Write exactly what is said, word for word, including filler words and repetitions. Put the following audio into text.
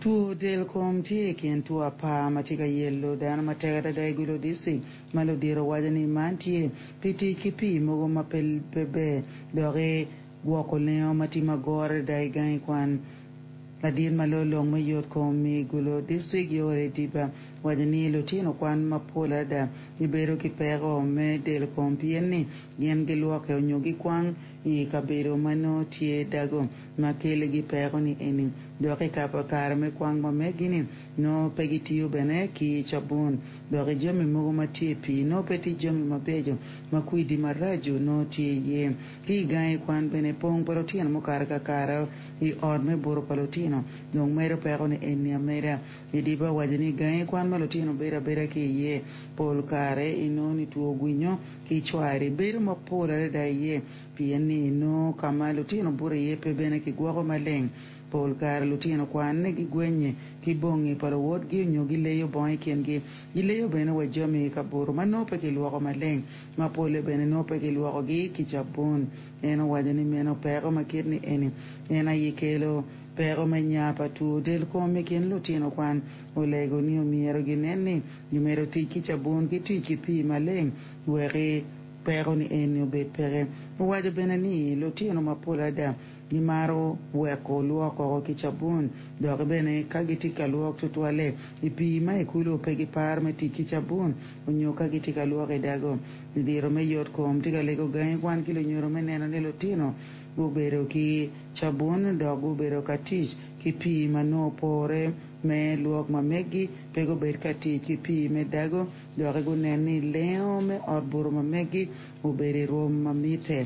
Two del kom tye i kin two apar ma tye ka yelo dano matek adada i Gulu District ma ludito waco ni man tye pi tic ki pii mogo ma pe ber doki gwoko lengo ma tye magoro adada i gangi kwan. Ladit ma loyo me yot kom i Gulu District Yoweri Diba waco ni lutino kwan mapol adada gibedo ki peko me del kom pien ni gin gilwoke onyo gikwang i kabedo ma nongo tye dago ma keligi peko ni eni dok i kare me kwang ma megi-ni nongo pe gitiyo bene ki cabun dok i jami mogo ma tye i pii nongo pe tye jami mabeco ma kwidi maraco nongo tye iye ki i gangi kwan bene pong pa lutino mukato kakare i ot me buto pa lutino dong medo peko ni eni ameda Idiba waco ni gangi kwan ma lutino bedo abeda ki iye pol kare inongo ni two gwinyo ki cwari bedo mapol adada iye pien ni nongo ka ma lutino buto iye pe bene kigwoko maleng pol kare lutino kwan gigwenye ki bongi pa luwotgi onyo gileyo bongo i kingi gileyo bene wa jami i kabuto ma nongo pe kilwoko maleng ma polle bene nongo pe kilwokogi ki cabun en owaco ni meno peko ma kit ni eni en aye kelo peko me nya pa two del kom i kin lutino kwan olego ni omyero ginen ni gimedo tic ki cabun ki tic ki pii maleng weki peko ni eni obed peke owaco bene ni lutino mapol adada gimaro weko lwoko ki cabun dok bene ka gitye ka lwok tutwalle i pii ma i kulu pe giparo me tic ki cabun onyo ka gitye ka lwoko i dago ludito me yot kom tye ka lego gangi kwan ki lunyodo me neno ni lutino gubedo ki cabun dok gubedo ka tic ki pii ma nongo opore me lwok ma megi pe gubed ka tic ki pii me dago dok gunen ni lengo me ot buto ma megi obedo i rwom ma mitte.